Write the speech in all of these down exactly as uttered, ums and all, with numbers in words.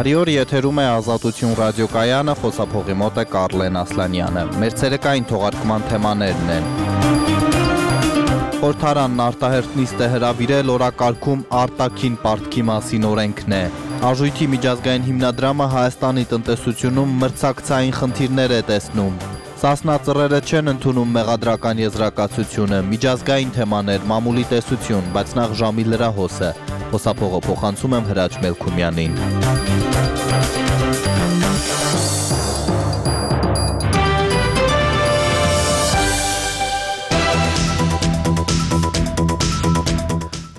Բարի օր, եթերում է Ազատություն ռադիոկայանը, խոսափողի մոտ է Կարլեն Ասլանյանը։ Մեր ցերեկային թողարկման թեմաներն են. Խորհրդարանն արտահերթ նիստ է հրավիրել, օրակարգում արտաքին պարտքի մասին օրենքն է։ Արժույթի միջազգային հիմնադրամը Հայաստանի տնտեսությունում մրցակցային խնդիրներ է տեսնում։ Սասնա ծռերը չեն ընդունում մեղադրական եզրակացությունը, միջազգային թեմաներ, մամուլի տեսություն, բայց նախ ժամի լրահոսը։ Խոսափողը փոխանցում եմ Հրաչ Մելքումյանին։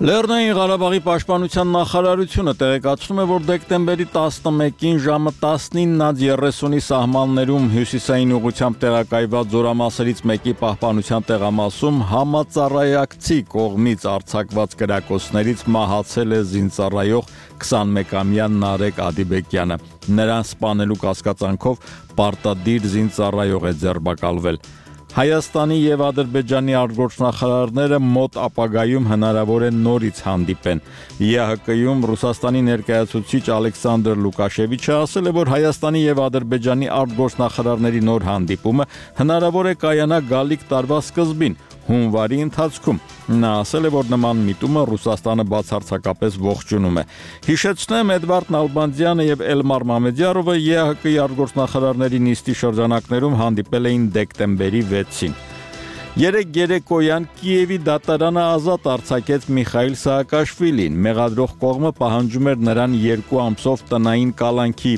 Լեռնային Ղարաբաղի պաշտպանության նախարարությունը տեղեկացնում է, որ դեկտեմբերի տասնմեկին ժամը տասնինը երեսունի սահմաններում հյուսիսային ուղղությամբ տեղակայված զորամասերից մեկի պահպանության տեղամասում համածառայակցի կողմից արձակված կրակոցներից մահացել է զինծառայող քսանմեկամյա Նարեկ Ադիբեկյանը։ Նրան սպանելու կասկածանքով պարտադիր զինծառայող է ձերբակալվել։ Հայաստանի եւ Ադրբեջանի արտգործնախարարները մոտ ապագայում հնարավոր է նորից հանդիպեն։ ԵԱՀԿ-ում Ռուսաստանի ներկայացուցիչ Ալեքսանդր Լուկաշևիչը ասել է, որ Հայաստանի եւ Ադրբեջանի արտգործնախարարների նոր հանդիպումը հնարավոր է կայանա գալիք տարվա սկզբին, հունվարի ընթացքում։ Նա ասել է, որ նման միտումը Ռուսաստանը բացարձակապես ողջունում է։ Հիշեցնեմ, Էդվարդ Նալբանդյանը եւ Էլմար Մամեդյարովը ԵԱՀԿ-ի արտգործնախարարների նիստի շրջանակներում հանդիպել էին դեկտեմբերի վեցին։ Երեկ երեկոյան Կիևի դատարանը ազատ արձակեց Միխայիլ Սահակաշվիլին։ Մեղադրող կողմը պահանջում էր նրան երկու ամսով տնային կալանքի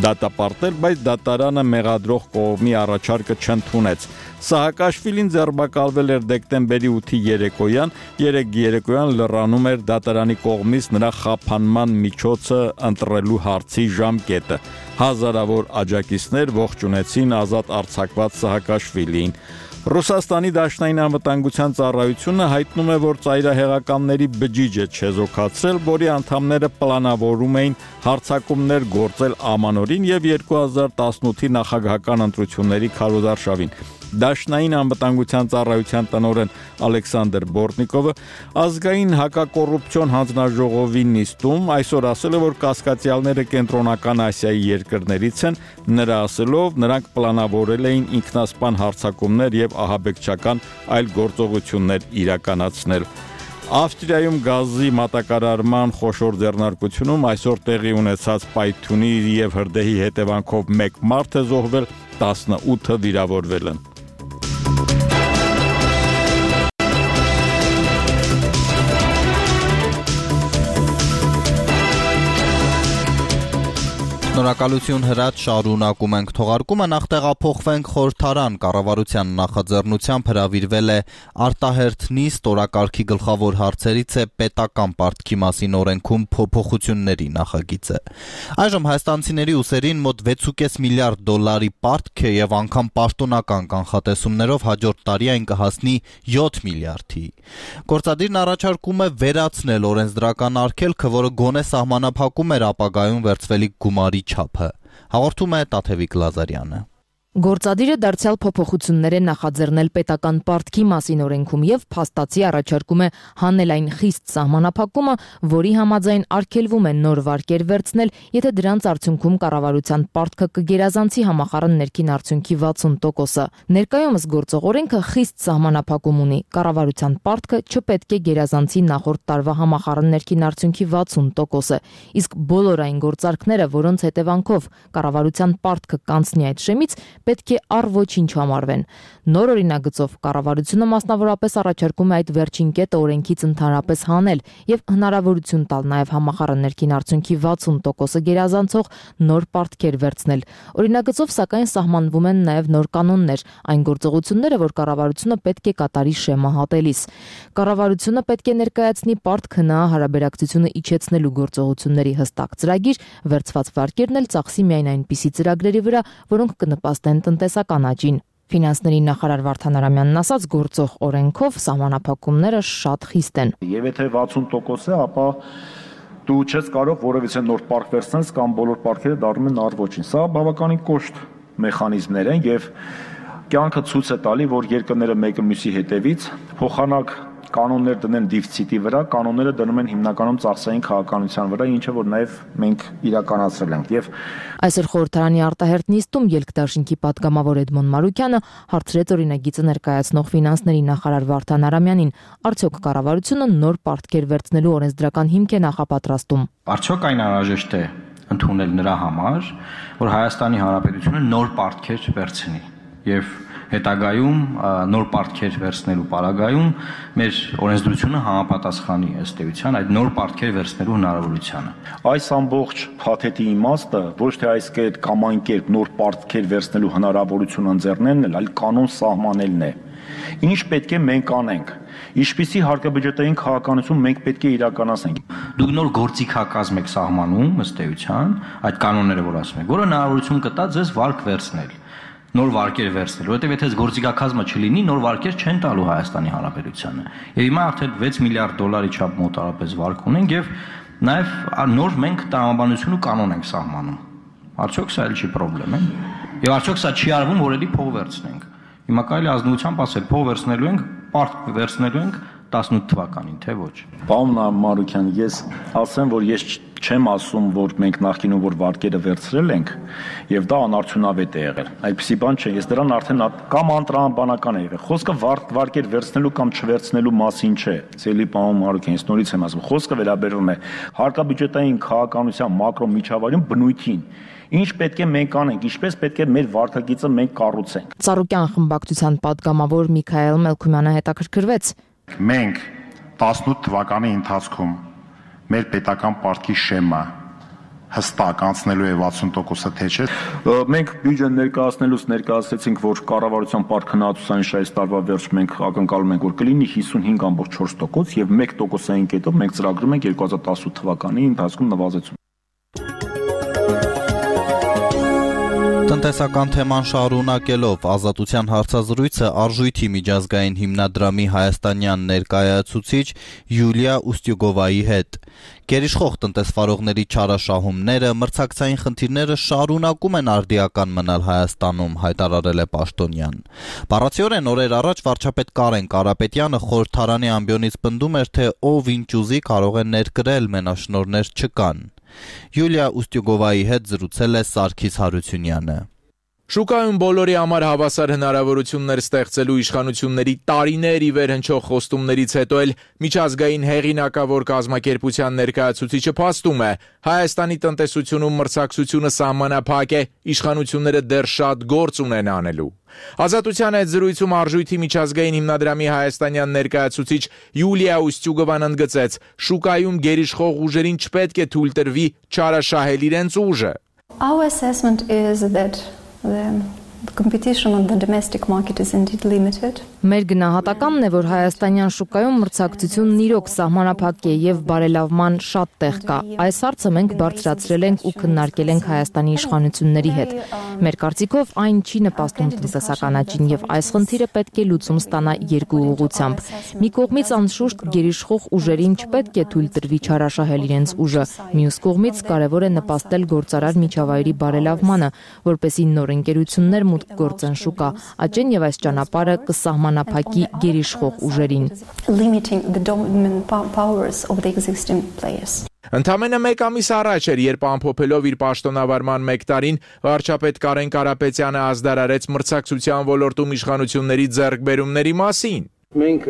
դատապարտել, բայց դատարանը մեղադրող կողմի առաջարկը չընդունեց։ Սահակաշվիլին ձերբակալվել էր դեկտեմբերի ութի երեկոյան, երեկ երեկոյան լրանում էր դատարանի կողմից նրա խափանման միջոցը ընտրելու հարցի ժամկետը։ Հազարավոր աջակիցներ ողջունեցին ազատ արձակված Սահակաշվիլիին։ Ռուսաստանի դաշնային անվտանգության ծառայությունը հայտնում է, որ ծայրահեղականների բջիջը չեզոքացրել, որի անդամները պլանավորում էին հարձակումներ գործել ամանորին եւ երկու հազար տասնութի նախագահական ընտրությունների քարոզարշավին։ Դաշնային անվտանգության ծառայության տնօրեն Ալեքսանդր Բորտնիկովը ազգային հակակոռուպցիոն հանձնաժողովի նիստում այսօր ասել է, որ կասկածյալները կենտրոնական Ասիայի երկրներից են, նրա ասելով, նրանք պլանավորել էին ինքնասպան հարձակումներ եւ ահաբեկչական այլ գործողություններ իրականացնել։ Ավստրիայում գազի մատակարարման խոշոր ձեռնարկությունում այսօր տեղի ունեցած պայթյունի եւ հրդեհի հետևանքով մեկ մարդ է զոհվել, տասնութը վիրավորվել են։ Շնորհակալություն Հրաչ, շարունակում ենք թողարկումը, նախ տեղափոխվենք խորհրդարան, կառավարության նախաձեռնությամբ հրավիրվել է արտահերթ նիստ, օրակարգի գլխավոր հարցերից է պետական պարտքի մասին օրենքում փոփոխությունների նախագիծը։ Այժմ հայաստանցիների ուսերին մոտ վեց ու կես միլիարդ դոլարի պարտք է եւ անգամ պաշտոնական կանխատեսումներով հաջորդ տարի այն կհասնի յոթ միլիարդի։ Գործադիրն առաջարկում է վերացնել օրենսդրական արգելքը, որը գոնե սահմանափակում էր ապագայում վերցվելիք գումարի չափը։ Հաղորդում է Տաթևիկ Լազարյանը։ Գործադիրը դարձյալ փոփոխություններ է նախաձեռնել պետական պարտքի մասին օրենքում եւ փաստացի առաջարկում է հանել այն խիստ սահմանափակումը, որի համաձայն արգելվում է նոր վարկեր վերցնել, եթե դրանց արդյունքում կառավարության պարտքը կգերազանցի համախառն ներքին արդյունքի վաթսուն տոկոսը։ Ներկայումս գործող օրենքը խիստ սահմանափակում ունի։ Կառավարության պարտքը չպետք է գերազանցի նախորդ տարվա համախառն ներքին արդյունքի վաթսուն տոկոսը, իսկ բոլոր այն գործարքները, որոնց հետևանքով կառավարության պարտքը կանցնի այդ շեմից, պետք է առ ոչինչ համարվեն։ Նոր օրինագծով կառավարությունը մասնավորապես առաջարկում է այդ վերջին կետը օրենքից ընդհանրապես հանել եւ հնարավորություն տալ նաեւ համախառն ներքին արդյունքի վաթսուն տոկոսը գերազանցող նոր պարտքեր վերցնել։ Օրինագծով սակայն սահմանվում են նաեւ նոր կանոններ, այն գործողությունները, որ կառավարությունը պետք է կատարի շեմը հատելիս։ Կառավարությունը պետք է ներկայացնի պարտք հնա հարաբերակցությունը իջեցնելու գործողությունների հստակ ծրագիր, վերցված վարկերն էլ ծախսի միայն այնպիսի ծրագրերի վրա, որոնք կնպաստեն տնտեսական աճին։ Ֆինանսների նախարար Վարդան Արամյանն ասաց, գործող օրենքով սահմանափակումները շատ խիստ են։ Եվ եթե վաթսուն տոկոս է, ապա դու չես կարող որևիցե նոր պարկ վերցնել կամ բոլոր պարկերը դառնում են առ ոչինչ։ Սա բավականին կոշտ մեխանիզմներ են եւ կյանքը ցույց է տալի, որ երկրները մեկը մյուսի հետևից փոխանակ կանոններ դնեն դիֆիցիտի վրա, կանոնները դնում են հիմնականում ծախսային քաղաքականության վրա, ինչը որ նաև մենք իրականացրել ենք։ Եվ այսօր խորհրդարանի արտահերթ նիստում ելքդաշինքի պատգամավոր Էդմոն Մարուկյանը հարցրեց օրինագիծը ներկայացնող ֆինանսների նախարար Վարդան Արամյանին, արդյոք կառավարությունը նոր պարտքեր վերցնելու օրենսդրական հիմք է նախապատրաստում։ Արդյոք այն անհրաժեշտ է ընդունել նրա համար, որ Հայաստանի Հանրապետությունը նոր պարտքեր վերցնի եւ հետագայում նոր պարտքեր վերցնելու պարագայում մեր օրենսդրությունը համապատասխանի ըստ էության այդ նոր պարտքեր վերցնելու հնարավորությանը։ Այս ամբողջ փաթեթի իմաստը ոչ թե այս կերպ կամ այն կերպ նոր պարտքեր վերցնելու հնարավորություն ընձեռնելն է, այլ կանոն սահմանելն է։ Ինչ պետք է մենք անենք, ինչպիսի հարկաբյուջետային քաղաքականություն մենք պետք է իրականացնենք։ Դուք նոր գործիքակազմ եք սահմանում ըստ էության այդ կանոնները, որ ասում եք, որը հնարավորություն կտա ձեզ վարկ վերցնել, նոր վարկեր վերցնել, որովհետև եթե գործիքակազմը չլինի, նոր վարկեր չեն տալու Հայաստանի Հանրապետությանը։ Եվ հիմա արդեն վեց միլիարդ դոլարի չափ մոտարապես վարկ ունենք եւ նաեւ նոր մենք տրամաբանություն ու կանոն ենք սահմանում։ Արդյոք սա էլ չի խնդրեմ, է։ Եվ արդյոք սա չի արվում, որ էլի փող վերցնենք։ Հիմա կարելի ազնվությամբ ասել, փող վերցնելու ենք, պարտք վերցնելու ենք տասնութ թվականին, թե ոչ։ Պարոն Մարուկյան, ես ասեմ, որ ես չեմ ասում, որ մենք նախկինում որ վարկերը վերցրել ենք եւ դա անարդյունավետ է եղել։ Այդպիսի բան չէ, ես դրան արդեն կամ անտրամաբանական է եղել։ Խոսքը վարկեր վերցնելու կամ չվերցնելու մասին չէ։ Ցելի պարոն Մարուկյան, ես նորից եմ ասում, խոսքը վերաբերում է հարկաբյուջետային քաղաքականության մակրո միջավայրում բնույթին։ Ինչ պետք է մենք անենք, ինչպես պետք է մեր վարկագիծը մենք կառուցենք։ Ծառուկյան խմբակցության падգամավոր Միքայել Մելքումյանը հետաքրքրվեց։ Մենք տասնութ թվականի ընթացքում մեր պետական պարտքի շեմը հստակ անցնելու է վաթսուն տոկոսը թե չէ։ Մենք բյուջեն ներկայացնելուց ներկայացրեցինք, որ կառավարության պարտքնահատուցային շահից տարվա վերջ մենք ակնկալում ենք, որ կլինի հիսունհինգ կόμμα չորս տոկոս եւ մեկ տոկոսային կետով մենք ծրագրում ենք երկու հազար տասնութ թվականի ընթացքում նվազեցում։ Տնտեսական թեման շարունակելով Ազատության հարցազրույցը Արժույթի միջազգային հիմնադրամի հայաստանյան ներկայացուցիչ Յուլիա Ուստյուգովայի հետ։ Գերիշխող տնտեսվարողների չարաշահումները, մրցակցային խնդիրները շարունակում են արդիական մնալ Հայաստանում, հայտարարել է Պաշտոնյան։ Բառացիորեն օրեր առաջ վարչապետ Կարեն Կարապետյանը խորհրդարանի ամբիոնից պնդում էր, թե ով ինչ ուզի կարող է ներկրել, մենաշնորհներ չկան։ Յուլիա Ուստյուգովայի հետ զրուցել է Սարգիս Հարությունյանը։ Շուկայում բոլորի համար հավասար հնարավորություններ ստեղծելու իշխանությունների տարիներ ի վեր հնչող խոստումներից հետո էլ միջազգային հեղինակավոր կազմակերպության ներկայացուցիչը փաստում է, Հայաստանի տնտեսությունում մրցակցությունը սահմանափակ է, իշխանությունները դեռ շատ գործ ունեն անելու։ Ազատության այդ զրույցում Արժույթի միջազգային հիմնադրամի հայաստանյան ներկայացուցիչ Յուլիա Ուստյուգովան ընդգծեց, շուկայում գերիշխող ուժերին չպետք է թույլ տրվի չարաշահել իրենց ուժը։ Our assessment is that the competition on the domestic market is indeed limited. Մեր գնահատականն է, որ հայաստանյան շուկայում մրցակցությունն իրոք սահմանափակ է եւ բարելավման շատ տեղ կա։ Այս հարցը մենք բարձրացրել ենք ու քննարկել ենք Հայաստանի իշխանությունների հետ։ Մեր կարծիքով այն չի նպաստում տնտեսական աճին եւ այս խնդիրը պետք է լուծում ստանա երկու ուղղությամբ։ Մի կողմից անշուշտ գերիշխող ուժերին չպետք է թույլ տրվի չարաշահել իրենց ուժը, մյուս կողմից կարևոր է նպաստել գործարար միջավայրի բարելավմանը, որպեսզի նոր ընկերություններ մուտք գործեն շուկա, աճեն եւ այս ճանապարհը կսահմանափակի գերիշխող ուժերին։ Ընդամենը մեկ ամիս առաջ էր, երբ ամփոփելով իր պաշտոնավարման մեկ տարին, վարչապետ Կարեն Կարապետյանը ազդարարեց մրցակցության ոլորտում իշխանությունների ձեռքբերումների մասին։ Մենք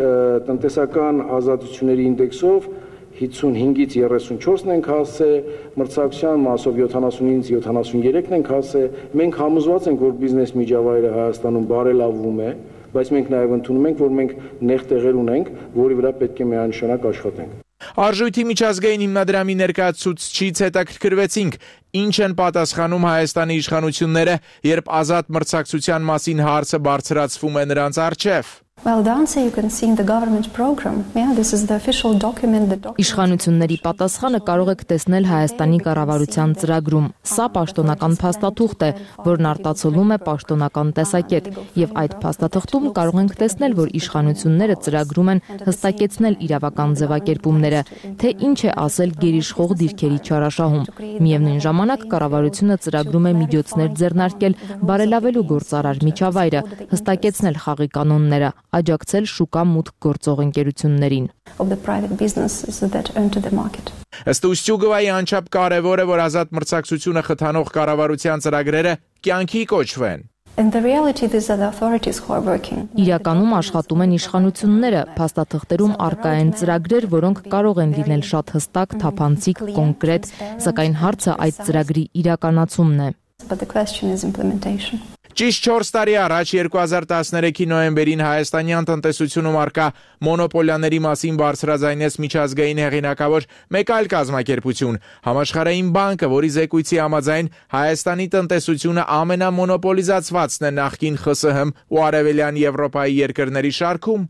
տնտեսական ազատությունների ինդեքսով հիսունհինգից երեսունչորսն ենք հասել, մրցակցության մասով յոթանասունից յոթանասուներեքն ենք հասել։ Մենք համոզված ենք, որ բիզնես միջավայրը Հայաստանում բարելավվում է, բայց մենք նաև ընդունում ենք, որ մենք նեղ տեղեր ունենք, որի վրա պետք է միանշանակ աշխատենք։ Արժույթի միջազգային հիմնադրամի ներկայացուցիչից հետաքրքրվեցինք, ինչ են պատասխանում Հայաստանի իշխանությունները, երբ ազատ մրցակցության մասին հարցը բարձրացվում է նրանց առջև։ Well, the answer you can see in the government program. Yeah, this is the official document. The document. Իշխանությունների պատասխանը կարող եք տեսնել Հայաստանի կառավարության ծրագրում։ Սա պաշտոնական փաստաթուղթ է, որն արտացոլում է պաշտոնական տեսակետ, եւ այդ փաստաթղթում կարող ենք տեսնել, որ իշխանությունները ծրագրում են հստակեցնել իրավական ձևակերպումները, թե ինչ է ասել գերիշխող դիրքերի չարաշահում։ Միևնույն ժամանակ կառավարությունը ծրագրում է միջոցներ ձեռնարկել բարելավելու գործարար միջավայրը, հստակեցնել խաղի կանոնները, աջակցել շուկա մուտք գործող ընկերություններին։ Of the private businesses that enter the market. Ըստ Ուստյուգովայի անչափ կարևոր է, որ ազատ մրցակցությունը խթանող կառավարության ծրագրերը կյանքի կոչվեն։ In the reality, these are the authorities who are working. Իրականում աշխատում են իշխանությունները, փաստաթղթերում առկա են ծրագրեր, որոնք կարող են լինել շատ հստակ, թափանցիկ, կոնկրետ, սակայն հարցը այդ ծրագրի իրականացումն է։ But the question is implementation. Ճիշտ չորս տարի առաջ երկու հազար տասներեքի նոյեմբերին հայաստանյան տնտեսությունում առկա մոնոպոլիաների մասին բարձրաձայնեց միջազգային հեղինակավոր մեկ այլ կազմակերպություն՝ Համաշխարհային բանկը, որի զեկույցի համաձայն Հայաստանի տնտեսությունը ամենամոնոպոլիզացվածն է նախկին Խ Ս Հ ու Արևելյան Եվրոպայի երկրների շարքում։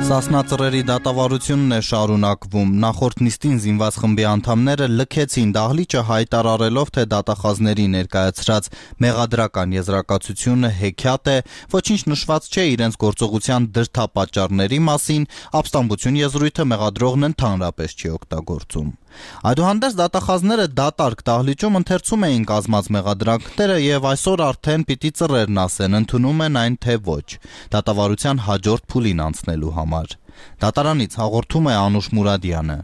Սասնա ծռերի դատավարությունն է շարունակվում։ Նախորդ նիստին զինված խմբի անդամները լքեցին դահլիճը հայտարարելով, թե դատախազների ներկայացրած մեղադրական եզրակացությունը հեքիաթ է, ոչինչ նշված չէ իրենց գործողության դրդապատճառների մասին, ապստամբություն եզրույթը մեղադրողն ընդհանրապես չի օգտագործում։ Այդուհանդերձ դատախազները դատարկ դահլիճում ընթերցում էին կազմած մեղադրանքները եւ այսօր արդեն պիտի ծռերն ասեն, ընդունում են այն թե ոչ, դատավարության հաջորդ փուլին անցնելու համար։ Դատարանից հաղորդում է Անուշ Մուրադյանը։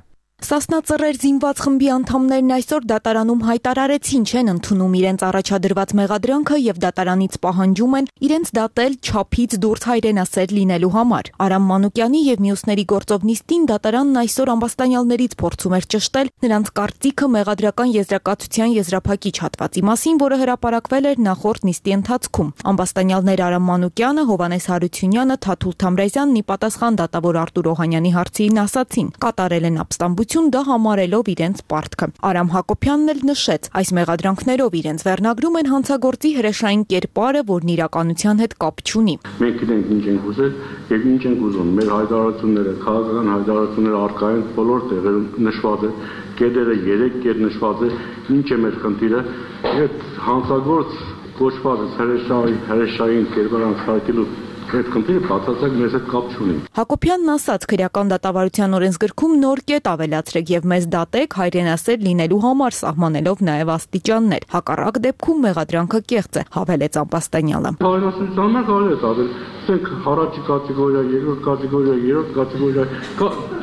Սասնա ծռեր զինված խմբի անդամներն այսօր դատարանում հայտարարեցին չեն ընդունում իրենց առաջադրված մեղադրանքը եւ դատարանից պահանջում են իրենց դատել չափից դուրս հայրենասեր լինելու համար։ Արամ Մանուկյանի եւ մյուսների գործով նիստին դատարանն այսօր ամբաստանյալներից փորձում էր ճշտել նրանց կարծիքը մեղադրական եզրակացության եզրափակիչ հատվածի մասին, որը հրապարակվել էր նախորդ նիստի ընթացքում։ Ամբաստանյալներ Արամ Մանուկյանը, Հովանես Հարությունյանը, Թաթուլ Թամրազյանն ի պատասխան դատավոր Արտուր Օհանյանի հարցին ասացին՝ կատարել են ապստամբություն դա համարելով իրենց պարտքը։ Արամ Հակոբյանն էլ նշեց, այս մեղադրանքներով իրենց վերնագրում են հանցագործի հրեշային կերպարը, որն իրականության հետ կապ չունի։ Մենք գիտենք ինչ ենք ուզել եւ ինչ ենք ուզում։ Մեր հայտարարությունները, քաղաքական հայտարարությունները առկա են բոլոր տեղերում նշված է, կետերը երեք կետ նշված է, ինչ է մեր խնդիրը։ Այդ հանցագործ կոչված հրեշային հրեշային կերպար անցկացնելու այդ խնդիրը բացարձակ մեզ հետ կապ չունի։ Հակոբյանն ասաց, քրեական դատավարության օրենսգրքում նոր կետ ավելացրեք եւ մեզ դատեք հայրենասեր լինելու համար, սահմանելով նաեւ աստիճաններ։ Հակառակ դեպքում մեղադրանքը կեղծ է, հավելեց Ամբաստանյանը։ Հայրենասերության համար կարելի է դատել, ասենք առաջի կատեգորիա, երկրորդ կատեգորիա, երրորդ կատեգորիա,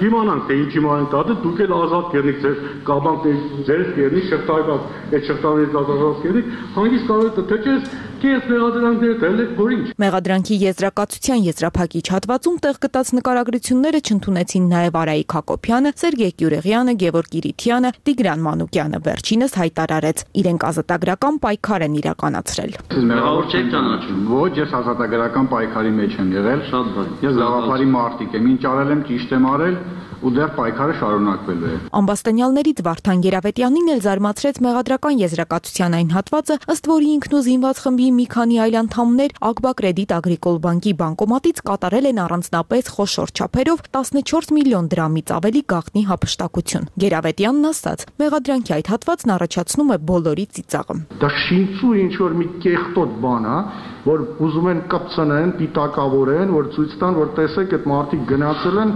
իմանանք թե ինչի ման դատը, դուք էլ ազատ կերնիք ձեր կաբանքների ձեր կերնի շղթայված, այդ շղթաներից ազատված կերնիք, հանգիստ կարող եք թե չէ կես մեղադրանքները դելեք որինչ։ Մեղադրանքի եզրակացության եզրափակիչ հատվածում տեղ գտած նկարագրությունները չընդունեցին նաև Արայիկ Հակոբյանը, Սերգեյ Գյուրեղյանը, Գևորգ Իրիթյանը, Տիգրան Մանուկյանը, վերջինս հայտարարեց իրենք ազատագրական պայքար են իրականացրել։ Մեղավոր չեք ճանաչում։ Ոչ, ես ազատագրական պայքարի մեջ եմ եղել։ Շատ բան։ Ես գաղափարի մարտիկ եմ, ինչ արել եմ, ճիշտ եմ արել ու դեռ պայքարը շարունակվելու է։ Ամբաստանյալներից Վարդան Գերավետյանին էլ զարմացրեց մեղադրական եզրակացության այն հատվածը, ըստ որի ինքն ու զինված խմբի մի քանի այլ անդամներ Ակբա Կրեդիտ Ագրիկոլ բանկի բանկոմատից կատարել են առանձնապես խոշոր չափերով տասնչորս միլիոն դրամից ավելի գաղտնի հափշտակություն։ Գերավետյանն ասաց, մեղադրանքի այդ հատվածն առաջացնում է բոլորի ծիծաղը։ Դա շինծու ինչ որ մի կեղտոտ բան է, որ ուզում են կպցնեն, պիտակավորեն, որ ցույց տան, որ տեսեք այդ մարդիկ գնացել են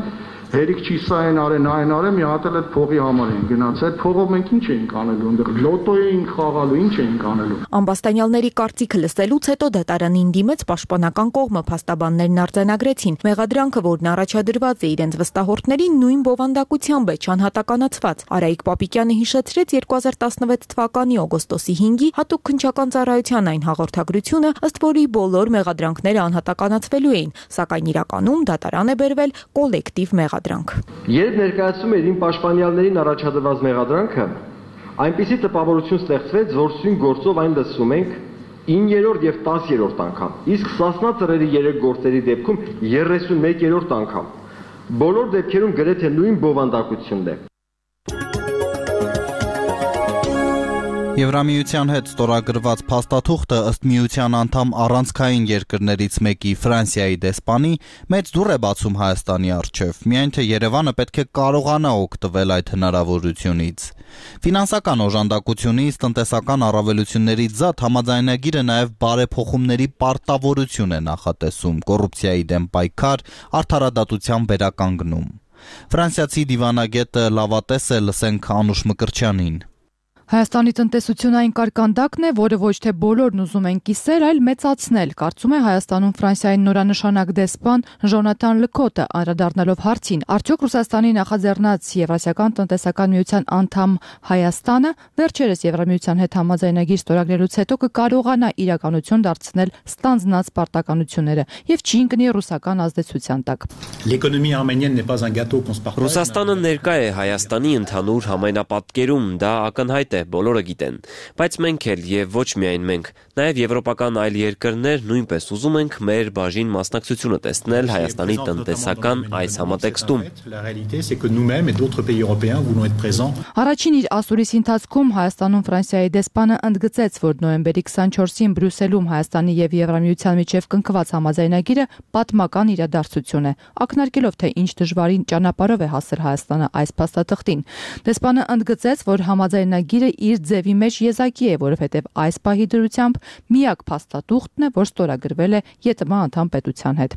հերիք չի սա են արեն, այն արեն, մի հատ էլ այդ փողի համար են գնացել։ Այդ փողով մենք ինչ էինք անելու, այնտեղ լոտո էինք խաղալու, ինչ էինք անելու։ Ամբաստանյալների կարծիքը լսելուց հետո դատարանին դիմեց պաշտպանական կողմը, փաստաբաններն արձանագրեցին։ Մեղադրանքը, որն առաջադրված է իրենց վստահորդներին, նույն բովանդակությամբ է չանհատականացված։ Արայիկ Պապիկյանը հիշեցրեց երկու հազար տասնվեց թվականի օգոստոսի հինգի հատուկ քննչական ծառայության այն հաղորդագրությունը, ըստ որի բոլոր մեղադրանքները անհատականացվելու էին, սակայն իրականում դատարան է բերվել կոլեկտիվ մեղադրանք։ Երբ ներկայացում էր իմ պաշտպանյալներին առաջադրված մեղադրանքը, այնպիսի տպավորություն ստեղծվեց, որ սույն գործով այն լսում ենք իններորդ եւ տասերորդ անգամ, իսկ Սասնա ծռերի երեք գործերի դեպքում երեսունմեկերորդ անգամ։ Բոլոր դեպքերում գրեթե նույն բովանդակությունն է։ Եվրամիության հետ ստորագրված փաստաթուղթը ըստ միության անդամ առանցքային երկրներից մեկի Ֆրանսիայի դեսպանի մեծ դուռ է բացում Հայաստանի առջև, միայն թե Երևանը պետք է կարողանա օգտվել այդ հնարավորությունից։ Ֆինանսական օժանդակությունից, տնտեսական առավելություններից զատ համաձայնագիրը նաև բարեփոխումների պարտավորություն է նախատեսում, կոռուպցիայի դեմ պայքար, արդարադատության վերականգնում։ Ֆրանսիացի դիվանագետը լավատես է, լսենք Անուշ Մկրտչյանին։ Հայաստանի տնտեսությունը այն կարկանդակն է, որը ոչ թե բոլորն ուզում են կիսել, այլ մեծացնել, կարծում է Հայաստանում Ֆրանսիայի նորանշանակ դեսպան Ժոնաթան Լկոտը, անդրադառնալով հարցին, արդյոք Ռուսաստանի նախաձեռնած Եվրասիական տնտեսական միության անդամ Հայաստանը վերջերս Եվրամիության հետ համաձայնագիր ստորագրելուց հետո կկարողանա իրականություն դարձնել ստանձնած պարտականությունները եւ չի ընկնի ռուսական ազդեցության տակ։ Ռուսաստանը ներկա է Հայաստանի ընդհանուր համայնապատկերում, դա ակնհայտ է, բոլորը գիտեն, բայց մենք էլ եւ ոչ միայն մենք, նաեւ եվրոպական այլ երկրներ նույնպես ուզում ենք մեր բաժին մասնակցությունը տեսնել Հայաստանի տնտեսական այս համատեքստում։ Առաջին իր ասուրիսի ընթացքում Հայաստանում Ֆրանսիայի դեսպանը ընդգծեց, որ նոյեմբերի քսանչորսին Բրյուսելում Հայաստանի եւ Եվրամիության միջև կնքված համաձայնագիրը պատմական իրադարձություն է, ակնարկելով թե ինչ դժվարին ճանապարհով է հասել Հայաստանը այս փաստաթղթին։ Դեսպանը ընդգծեց, որ համաձայնագիրը իր ձևի մեջ եզակի է, որովհետև այս պահի դրությամբ միակ փաստաթուղթն է, որ ստորագրվել է ԵՏՄ անդամ պետության հետ։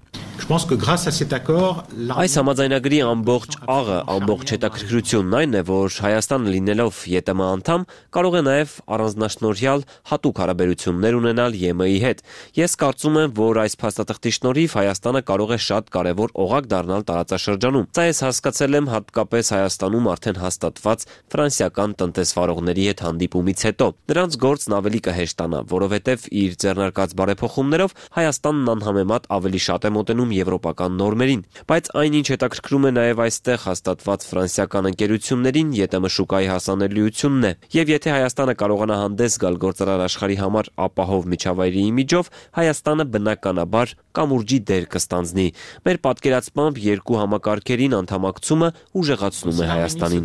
Այս համաձայնագրի ամբողջ աղը, ամբողջ հետաքրքրությունն այն է, որ Հայաստանը լինելով ԵՏՄ անդամ կարող է նաև առանձնաշնորհյալ հատուկ հարաբերություններ ունենալ ԵՄ-ի հետ։ Ես կարծում եմ, որ այս փաստաթղթի շնորհիվ Հայաստանը կարող է շատ կարևոր օղակ դառնալ տարածաշրջանում։ Սա ես հասկացել եմ հատկապես Հայաստանում արդեն հաստատված ֆրանսիական տնտեսվարողների հետ հանդիպումից հետո։ Նրանց գործն ավելի կհեշտանա, որովհետև իր ձեռնարկած բարեփոխումներով Հայաստանն անհամեմատ ավելի շատ է մոտենում եվրոպական նորմերին, բայց այնինչ հետաքրքրում է նաև այստեղ հաստատված ֆրանսիական ընկերություններին ԵՏՄ շուկայի հասանելիությունն է, եւ եթե Հայաստանը կարողանա հանդես գալ գործարար աշխարհի համար ապահով միջավայրի իմիջով, Հայաստանը բնականաբար կամուրջի դեր կստանձնի։ Մեր պատկերացմամբ երկու համակարգերին անդամակցումը ուժեղացնում է Հայաստանին։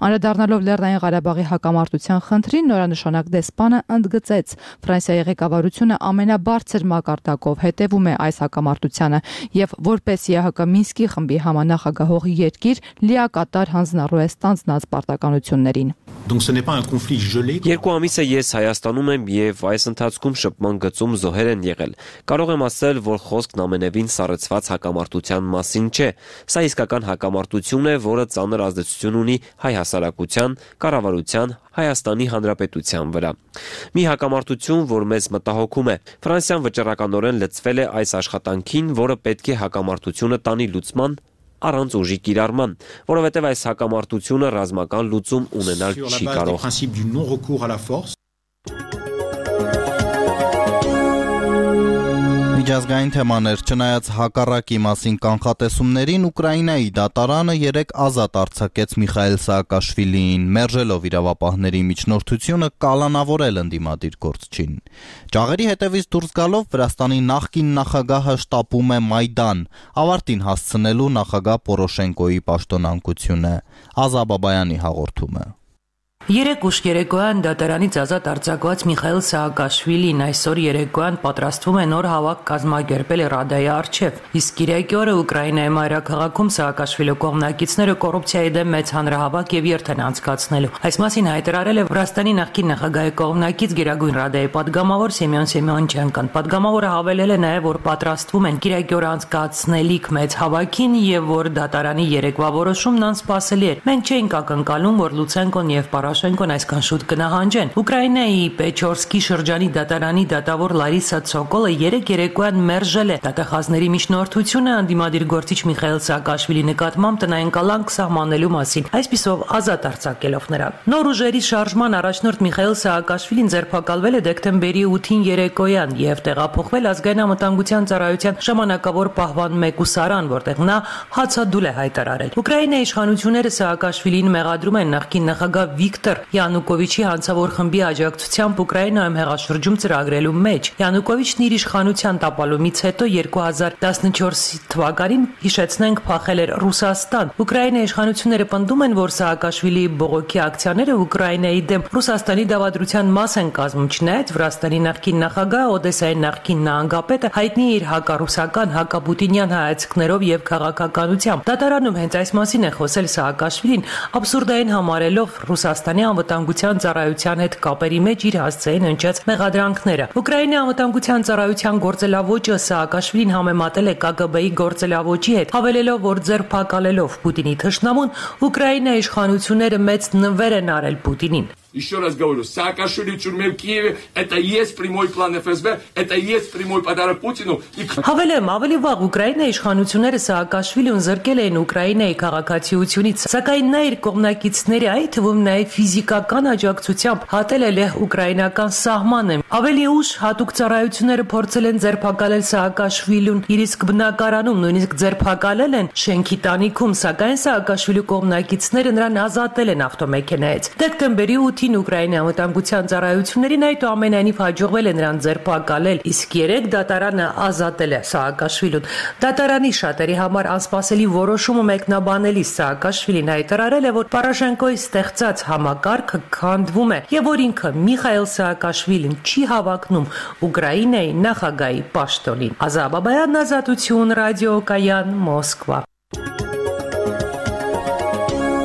Անդրադառնալով Լեռնային Ղարաբաղի հակամարտության խնդրին, նորանշանակ դեսպանը ընդգծեց, Ֆրանսիայի ղեկավարությունը ամենաբարձր մակարդակով հետևում է այս հակամարտությանը եւ որպես ԵՀԿ Մինսկի խմբի համանախագահող երկիր լիակատար հանձնառու է ստանձնած պարտականություններին։ Երկու ամիս է ես Հայաստանում եմ եւ այս ընթացքում շփման գծում զոհեր են եղել։ Կարող եմ ասել, որ խոսքն ամենևին սառեցված հակամարտության մասին չէ։ Սա իսկական հակամարտություն է, որը ծանր ազդեցություն ունի հայ հասարակության, կառավարության, Հայաստանի Հանրապետության վրա։ Մի հակամարտություն, որ մեզ մտահոգում է։ Ֆրանսիան վճռականորեն լծվել է այս աշխատանքին, որը պետք է հակամարտությունը տանի լուծման առանց ուժի կիրառման, որովհետև այս հակամարտությունը ռազմական լուծում ունենալ չի կարող։ Միջազգային թեմաներ, չնայած հակառակի մասին կանխատեսումներին, Ուկրաինայի դատարանը երեկ ազատ արձակեց Միխայիլ Սաակաշվիլիին, մերժելով իրավապահների միջնորդությունը կալանավորել ընդդիմադիր գործչին։ Ճաղերի հետևից դուրս գալով Վրաստանի նախկին նախագահը շտապում է Մայդան, ավարտին հասցնելու նախագահ Պորոշենկոյի պաշտոնանկությունը։ Ազա Բաբայանի հաղորդումը։ Երեկ ուշ երեկոյան դատարանից ազատ արձակված Միխայիլ Սաակաշվիլին այսօր երեկոյան պատրաստվում է նոր հավաք կազմակերպել Ռադայի առջև, իսկ կիրակի օրը Ուկրաինայի մայրաքաղաքում Սաակաշվիլի կողմնակիցները կոռուպցիայի դեմ մեծ հանրահավաք եւ երթ են անցկացնելու։ Այս մասին հայտարարել է Վրաստանի նախկին նախագահի կողմնակից Գերագույն Ռադայի падգամավոր Սեմյոն Սեմյոնչենկոն։ Падգամավորը հավելել է նաեւ, որ պատրաստվում են կիրակի օրը անցկացնելիք մեծ հավաքին եւ որ դատարանի երեկվա որոշումն անսպասելի է։ Մենք չէինք ակնկալում, որ Լուցենկոն եւ Պորոշենկոն այսքան շուտ կնահանջեն։ Ուկրաինայի Պեչորսկի շրջանի դատարանի դատավոր Լարիսա Ցոկոլը երեք երեկոյան մերժել է դատախազների միջնորդությունը ընդդիմադիր գործիչ Միխայիլ Սաակաշվիլի նկատմամբ տնային կալանք սահմանելու մասին, այսպիսով ազատ արձակելով նրան։ Նոր ուժերի շարժման առաջնորդ Միխայիլ Սաակաշվիլին ձերբակալվել է դեկտեմբերի ութին երեկոյան եւ տեղափոխվել ազգային անվտանգության ծառայության ժամանակավոր պահվան մեկուսարան, որտեղ նա հացադուլ է հայտարարել։ Ուկրաինայի իշխանությունները Սաակաշվիլին մեղադրում են նախկին նախագահ Վիկտոր Յանուկովիչի հանցավոր խմբի աջակցությամբ Ուկրաինայում հեղաշրջում ծրագրելու մեջ։ Յանուկովիչն իր իշխանության տապալումից հետո երկու հազար տասնչորս թվականին հիշեցնենք փախել էր Ռուսաստան։ Ուկրաինայի իշխանությունները պնդում են, որ Սաակաշվիլիի բողոքի ակցիաները Ուկրաինայի դեմ Ռուսաստանի դավադրության մաս են կազմում, չնայած Վրաստանի նախկին նախագահ Օդեսայի նախկին նահանգապետը հայտնի է իր հակառուսական, հակապուտինյան հայացքներով եւ քաղաքականությամբ։ Դատարանում հենց այս մասին է խոսել Սաակաշվիլին, աբսուրդային համարելով Ռուսաստանի Հայաստանի անվտանգության ծառայության հետ կապերի մեջ իր հասցեին հնչած մեղադրանքները։ Ուկրաինայի անվտանգության ծառայության գործելավոճը Սաակաշվիլին համեմատել է Կ Գ Բ-ի գործելավոճի հետ, հավելելով, որ ձերբակալելով Պուտինի թշնամուն, Ուկրաինայի իշխանությունները մեծ նվեր են արել Պուտինին։ Еще раз говорю, Саакашвили в тюрьме в Киеве – это и есть прямой план Эф Эс Бэ, это и есть прямой подарок Путину. Հավելեմ, ավելի վաղ Ուկրաինայի իշխանությունները Սաակաշվիլին զրկել էին Ուկրաինայի քաղաքացիությունից, սակայն նա իր կողմնակիցների, այդ թվում նաև ֆիզիկական աջակցությամբ հատել է լեհ-ուկրաինական սահմանը։ Ավելի ուշ հատուկ ծառայությունները փորձել են ձերբակալել Սաակաշվիլուն իր իսկ բնակարանում, նույնիսկ ձերբակալել են շենքի տանիքում, սակայն Սաակաշվիլու կողմնակիցները նրան ազատել են ավտոմեքենայից։ Դեկտեմբերի ութին Ուկրաինայի անվտանգության ծառայություններին այդուամենայնիվ հաջողվել է նրան ձերբակալել, իսկ երեք դատարանը ազատել է Սաակաշվիլուն։ Դատարանի շատերի համար անսպասելի որոշումը մեկնաբանելիս Սաակաշվիլին հայտարարել է, որ Պորոշենկոյի ստեղծած համակարգը քանդվում է եւ որ ինքը Միխայիլ Սաակաշվիլին չի հավակնում Ուկրաինայի նախագահի պաշտոնին։ Ազատ Բաբայան, Ազատություն, ռադիոկայան, Մոսկվա։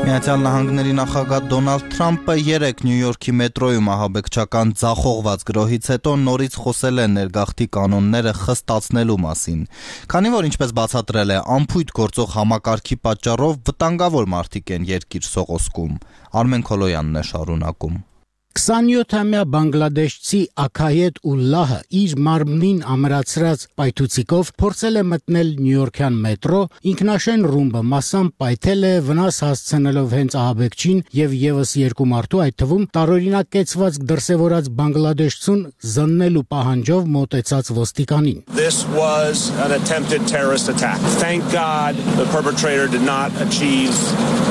Միացյալ Նահանգների նախագահ Դոնալդ Թրամփը երեկ Նյու Յորքի մետրոյում ահաբեկչական ձախողված գրոհից հետո նորից խոսել է ներգաղթի կանոնները խստացնելու մասին։ Քանի որ ինչպես բացատրել է, անփույթ գործող համակարգի պատճառով վտանգավոր մարդիկ են երկիր սողոսկում։ Արմեն Քոլոյանն է շարունակում։ քսանյոթամյա բանգլադեշցի Աքայետ Ուլլահը իր մարմնին ամրացրած պայթուցիկով փորձել է մտնել Նյույորքյան մետրո, ինքնաշեն ռումբը մասամբ պայթել է, վնաս հասցնելով հենց ահաբեկչին եւ եւս երկու մարդու, այդ թվում տարօրինակ կեցված դրսեւորած բանգլադեշցուն զննելու պահանջով մոտեցած ոստիկանին։ This was an attempted terrorist attack. Thank God the perpetrator did not achieve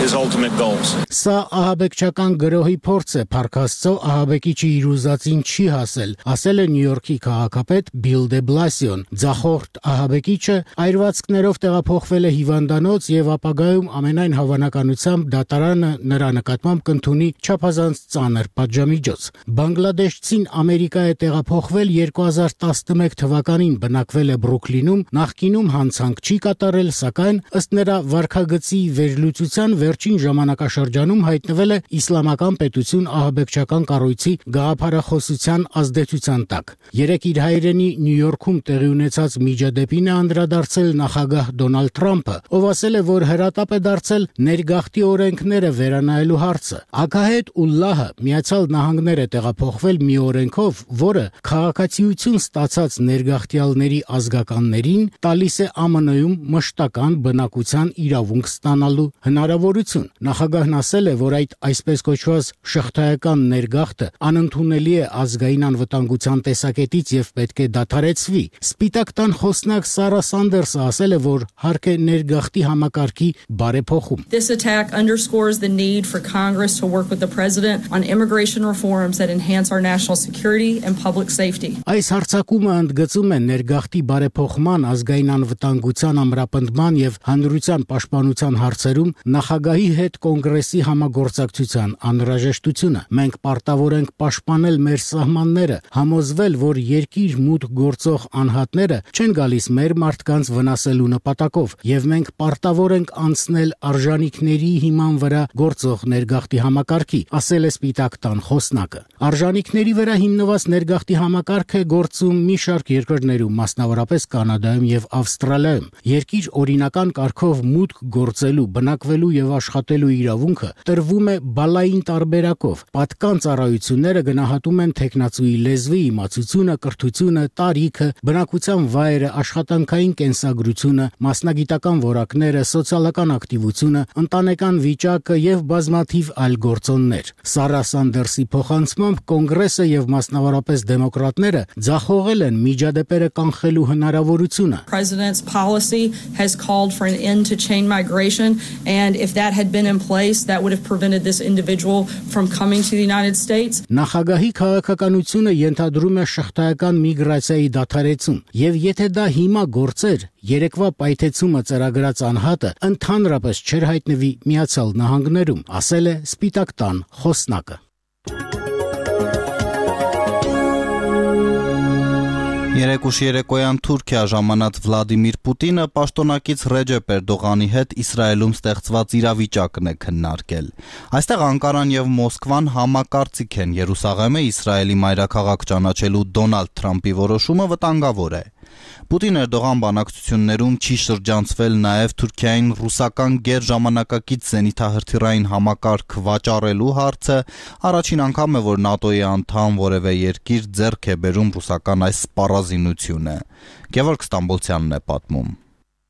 his ultimate goals. Սա ահաբեկչական գրոհի փորձ է, փառքաստո ահաբեկիչը իր ուզածին չի հասել, ասել է Նյու Յորքի քաղաքապետ Բիլ դե Բլասիոն։ Ձախորդ ահաբեկիչը այրվածքներով տեղափոխվել է հիվանդանոց եւ ապագայում ամենայն հավանականությամբ դատարանը նրա նկատմամբ կընդունի չափազանց ծանր պատժամիջոց։ Բանգլադեշցին Ամերիկա է տեղափոխվել երկու հազար տասնմեկ թվականին, բնակվել է Բրուքլինում, նախկինում հանցանք չի կատարել, սակայն ըստ նրա վարքագծի վերլուծության վերջին ժամանակաշրջանում հայտնվել է իսլամական պետություն ահաբեկչական կառույցի գաղափարախոսության ազդեցության տակ։ Երեք իր հայրենի Նյու Յորքում տեղի ունեցած միջադեպին է անդրադարձել նախագահ Դոնալդ Թրամփը, ով ասել է, որ հրատապ է դարձել ներգաղթի օրենքները վերանայելու հարցը։ Աքահետ Ուլլահը Միացյալ Նահանգներ է տեղափոխվել մի օրենքով, որը քաղաքացիություն ստացած ներգաղթյալների ազգականներին տալիս է Ամն Օ-ում մշտական բնակության իրավունք ստանալու հնարավորություն։ Նախագահն ասել է, որ այդ այսպես կոչված շղթայական ներգաղթը անընդունելի է ազգային անվտանգության տեսակետից եւ պետք է դադարեցվի։ Սպիտակ տան խոսնակ Սարա Սանդերսը ասել է, որ հարկ է ներգաղթի համակարգի բարեփոխում։ This attack underscores the need for Congress to work with the president on immigration reforms that enhance our national security and public safety. Այս հարձակումը ընդգծում է ներգաղթի բարեփոխման, ազգային անվտանգության ամրապնդման եւ հանրության պաշտպանության հարցերում նախագահի հետ կոնգրեսի համագործակցության անհրաժեշտությունը։ Մենք պարտավոր ենք պաշտպանել մեր սահմանները, համոզվել, որ երկիր մուտք գործող անհատները չեն գալիս մեր մարդկանց վնասելու նպատակով, եւ մենք պարտավոր ենք անցնել արժանինքների հիման վրա գործող ներգաղթի համակարգի, ասել է Սպիտակ տան խոսնակը։ Արժանինքների վրա հիմնված ներգաղթի համակարգը գործում մի շարք երկրներում, մասնավորապես Կանադայում եւ Ավստրալիայում։ Երկիր օրինական կարգով մուտք գործելու, բնակվելու եւ աշխատելու իրավունքը տրվում է բալային տարբերակով։ Պատկան ծառայությունները գնահատում են տեխնացուի լեզվի, իմացությունը, կրթությունը, տարիքը, բնակության վայրը, աշխատանքային կենսագրությունը, մասնագիտական որակները, սոցիալական ակտիվությունը, ընտանեկան վիճակը եւ բազմաթիվ այլ գործոններ։ Սարա Սանդերսի փոխանցմամբ կոնգրեսը եւ մասնավորապես դեմոկրատները ձախողել են միջադեպերը կանխելու հնարավորությունը։ President's policy has called for an end to chain migration, and if that had been in place, that would have prevented this individual from coming to the United States. Նախագահի քաղաքականությունը ենթադրում է շղթայական միգրացիայի դադարեցում, եւ եթե դա հիմա գործեր, երեկվա պայթեցումը ծրագրած անհատը ընդհանրապես չէր հայտնվի Միացյալ Նահանգներում, ասել է Սպիտակ տան խոսնակը։ Երեկուշ երեկոյան Թուրքիա ժամանած Վլադիմիր Պուտինը պաշտոնակից Ռեջեփ Էրդողանի հետ Իսրայելում ստեղծված իրավիճակն է քննարկել։ Այստեղ Անկարան եւ Մոսկվան համակարծիք են, Երուսաղեմը Իսրայելի մայրաքաղաք ճանաչելու Դոնալդ Թրամփի որոշումը վտանգավոր է։ Պուտին-Էրդողան բանակցություններում չի շրջանցվել նաև Թուրքիային ռուսական գերժամանակակից զենիթահրթիռային համակարգ վաճառելու հարցը, առաջին անգամ է, որ ՆԱՏՕ-ի անդամ որևէ երկիր ձեռք է բերում ռուսական այս սպառազինությունը։ Գևորգ Ստամբոլցյանն է պատմում։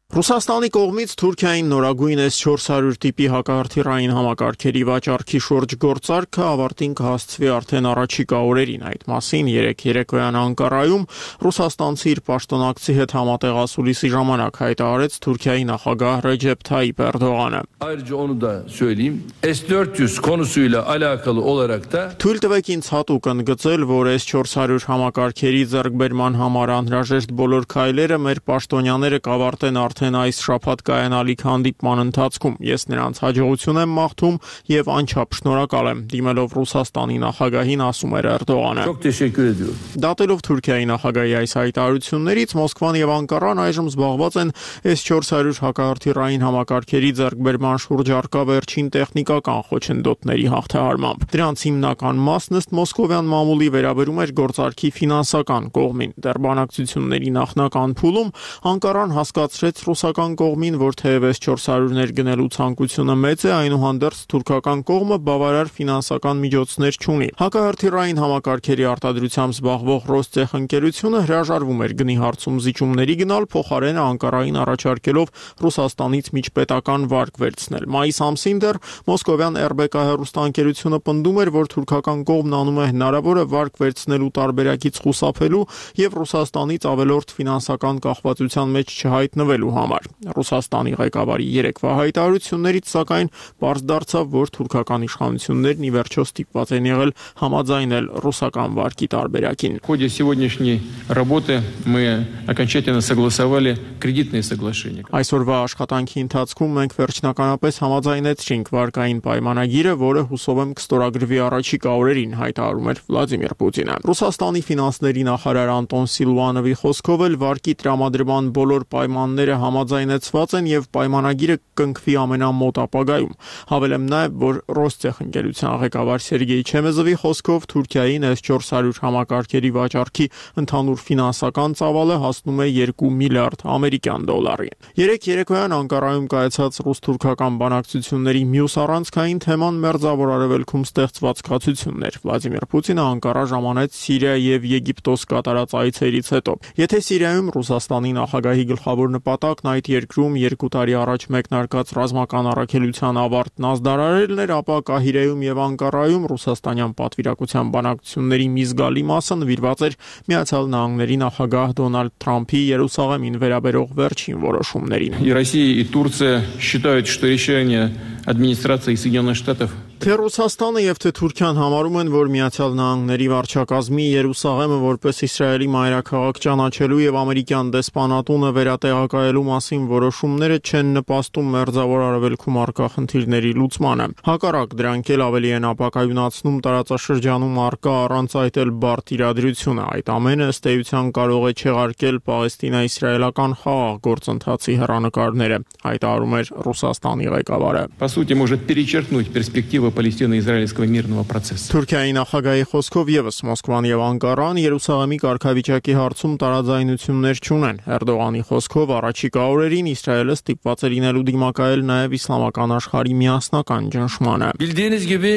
Ռուսաստանի կողմից Թուրքիային նորագույն էս չորս հարյուր տիպի հակահրթիռային համակարգերի վաճառքի շուրջ գործարքը ավարտին կհասցվի արդեն առաջիկա օրերին։ Այդ մասին երեկ երեկոյան Անկարայում ռուսաստանցի իր պաշտոնակցի հետ համատեղասուլիսի ժամանակ հայտարարեց Թուրքիայի նախագահ Ռեջեփ Թայիփ Էրդողանը։ Ayrıca onu da söyleyeyim. S dört yüz konusuyla alakalı olarak da Թույլ տվեք ինձ հատուկ ընդգծել, որ էս չորս հարյուր համակարգերի ձեռքբերման համար անհրաժեշտ բոլոր քայլերը մեր պաշտոնյաները կավարտեն արդեն այս շաբաթ կայանալիք հանդիպման ընթացքում։ Ես նրանց հաջողություն եմ մաղթում եւ անչափ շնորհակալ եմ, դիմելով Ռուսաստանի նախագահին, ասում էր Էրդողանը։ Çok teşekkür ediyorum. Դատելով Թուրքիայի նախագահի այս հայտարարություններից, Մոսկվան եւ Անկարան այժմ զբաղված են էս չորս հարյուր հակահրթիռային համակարգերի ձեռքբերման շուրջ առկա վերջին տեխնիկական խոչընդոտների հաղթահարմամբ։ Դրանց հիմնական մասն ըստ մոսկովյան մամուլի վերաբերում էր գործարքի ֆինանսական կողմին։ Դեռ բանակցությունների նախնական փուլում Անկարան հասկացրեց ռուսական կողմին, որ թեև էս չորս հարյուրներ գնելու ցանկությունը մեծ է, այնուհանդերձ թուրքական կողմը բավարար ֆինանսական միջոցներ չունի։ Հակահրթիռային համակարգերի արտադրությամբ զբաղվող Ռոստեխ ընկերությունը հրաժարվում էր գնի հարցում զիջումների գնալ, փոխարենը Անկարային առաջարկելով Ռուսաստանից միջպետական վարկ վերցնել։ Մայիս ամսին դեռ մոսկովյան эр бэ կա հեռուստաընկերությունը պնդում էր, որ թուրքական կողմն անում է հնարավորը վարկ վերցնելու տարբերակից խուսափելու եւ Ռուսաստանից ավելորդ ֆինանսական կախվածության մեջ չհայտնվելու համար։ Ռուսաստանի ղեկավարի երեկվա հայտարարություններից սակայն պարզ դարձավ, որ թուրքական իշխանություններն ի վերջո ստիպված են եղել համաձայնել ռուսական վարկի տարբերակին։ В ходе сегодняшней работы мы окончательно согласовали кредитные соглашения. Այսօրվա աշխատանքի ընթացքում մենք վերջնականապես համաձայնեցինք վարկային պայմանագիրը, որը հուսով եմ կստորագրվի առաջիկա օրերին, հայտարարում էր Վլադիմիր Պուտինը։ Ռուսաստանի ֆինանսների նախարար Անտոն Սիլուանովի խոսքով էլ վարկի տրամադրման բոլոր պայմանները համաձայնեցված են եւ պայմանագիրը կնքվի ամենամոտ ապագայում։ Հավելեմ նաեւ, որ Ռոստեխ ընկերության ղեկավար Սերգեյ Չեմեզովի խոսքով Թուրքիային էս չորս հարյուր համակարգերի վաճառքի ընդհանուր ֆինանսական ծավալը հասնում է երկու միլիարդ ամերիկյան դոլարի։ Երեք երեկոյան Անկարայում կայացած ռուս-թուրքական բանակցությունների մյուս առանցքային թեման Մերձավոր Արևելքում ստեղծված կացություններ։ Վլադիմիր Պուտինը Անկարա ժամանեց Սիրիա եւ Եգիպտոս կատարած այցերից հետո։ Եթե Սիրիայում Ռուսաստանի նախագահի գլխավոր նպատակն այդ երկրում երկու տարի առաջ մեկնարկած ռազմական առաքելության ավարտն ազդարարելն էր, ապա Կահիրեում եւ Անկարայում ռուսաստանյան պատվիրակության բանակցությունների մի զգալի մասը նվիրված էր Միացյալ Նահանգների նախագահ Դոնալդ Թրամփի Երուսաղեմին վերաբերող վերջին որոշումներին։ И Россия, и Турция считают, что решение администрации Соединенных Штатов Թե Ռուսաստանը եւ թե Թուրքիան համարում են, որ Միացյալ Նահանգների վարչակազմի Երուսաղեմը որպես Իսրայելի մայրաքաղաք ճանաչելու եւ ամերիկյան դեսպանատունը վերատեղակայելու մասին որոշումները չեն նպաստում Մերձավոր Արևելքում առկա խնդիրների լուծմանը։ Հակառակ, դրանք էլ ավելի են ապակայունացնում տարածաշրջանում առկա առանց այդ էլ բարդ իրադրությունը։ Այդ ամենը ըստ էության կարող է չեղարկել Պաղեստինա-իսրայելական խաղաղ գործընթացի հեռանկարները, հայտարարում էր Ռուսաստանի ղեկավարը։ По сути, может перечеркнуть перспективы Պալեստինա-իսրայելского мирного процесса։ Թուրքիայի նախագահի խոսքով եւս Մոսկվան եւ Անկարան Երուսաղեմի կարգավիճակի հարցում տարաձայնություններ չունեն։ Էրդողանի խոսքով առաջիկա օրերին Իսրայելը ստիպված է լինելու դիմակայել նաեւ իսլամական աշխարհի միասնական ճնշմանը։ Bildiğiniz gibi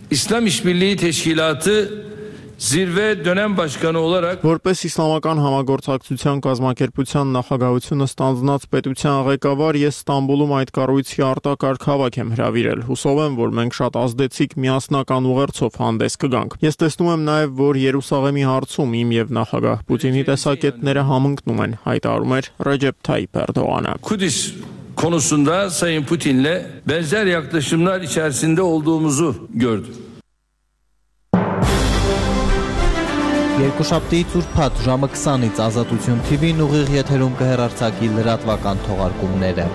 İslam İşbirliği Teşkilatı Zirve dönem başkanı olarak Որպես իսլամական համագործակցության կազմակերպության նախագահությունը ստանձնած պետության ղեկավար ես Ստամբուլում այդ կառույցի արտակարգ հավաք եմ հրավիրել։ Հուսով եմ, որ մենք շատ ազդեցիկ միասնական ուղերձով հանդես կգանք։ Ես տեսնում եմ նաև, որ Երուսաղեմի հարցում իմ եւ նախագահ Պուտինի տեսակետները համընկնում են, հայտարարում էր Ռեջեփ Թայիփ Էրդողանը։ Kudüs konusunda Sayın Putin'le benzer yaklaşımlar içerisinde olduğumuzu gördüm. Երկուշաբթիից ուրբաթ ժամը քսանից Ազատություն թի վին ուղիղ եթերում կհեռարձակի լրատվական թողարկումները։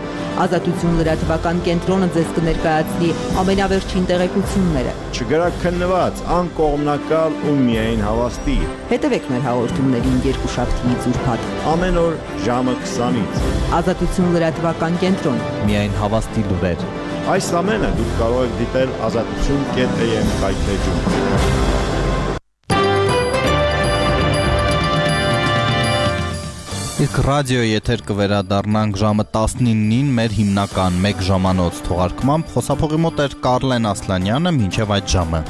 Ազատություն լրատվական կենտրոնը ձեզ կներկայացնի ամենավերջին տեղեկությունները։ Չգրաքննված, անկողմնակալ ու միայն հավաստի։ Հետևեք մեր հաղորդումներին երկուշաբթիից ուրբաթ։ Ամեն օր ժամը քսանից։ Ազատություն լրատվական կենտրոն։ Միայն հավաստի լուրեր։ Այս ամենը դուք կարող եք դիտել ազատություն կետ էյ էմ կայքէջում։ Իսկ ռադիոյի եթեր կվերադառնանք ժամը տասնինին մեր հիմնական մեկ ժամանոց թողարկմամբ։ Խոսափողի մոտ էր Կարլեն Ասլանյանը, մինչև այդ ժամը։